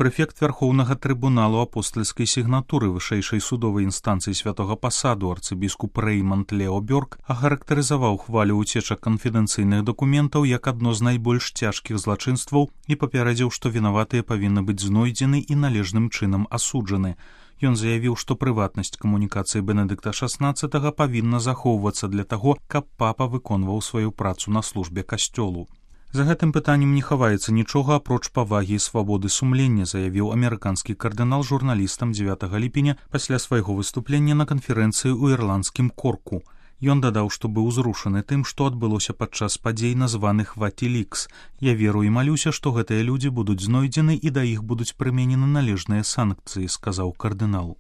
Прэфект Вярхоўнага трыбуналу апостальскай сігнатуры вышэйшай судовай інстанцыі святога пасаду арцыбіскуп Рэйманд Лео Бёрк ахарактарызаваў хвалю ўцечак канфідэнцыйных дакументаў як адно з найбольш цяжкіх злачынстваў і папярэдзіў, што вінаватыя павінны быць знойдзены і належным чынам асуджаны. Ён заявіў, што прыватнасць камунікацыі Бенедыкта XVI павінна захоўвацца для таго, каб папа выконваў сваю працу на службе касцёлу. За гэтым пытаннем не хаваецца нічога апроч павагі і свабоды сумлення, заявіў амерыканскі кардынал журналістам 9 ліпеня пасля свайго выступлення на канферэнцыі ў ірландскім Корку. Ён дадаў, што быў узрушаны тым, што адбылося падчас падзей, названых Ватилікс. Я веру і малюся, што гэтыя людзі будуць знойдзены і да іх будуць прыменены належныя санкцыі, сказаў кардынал.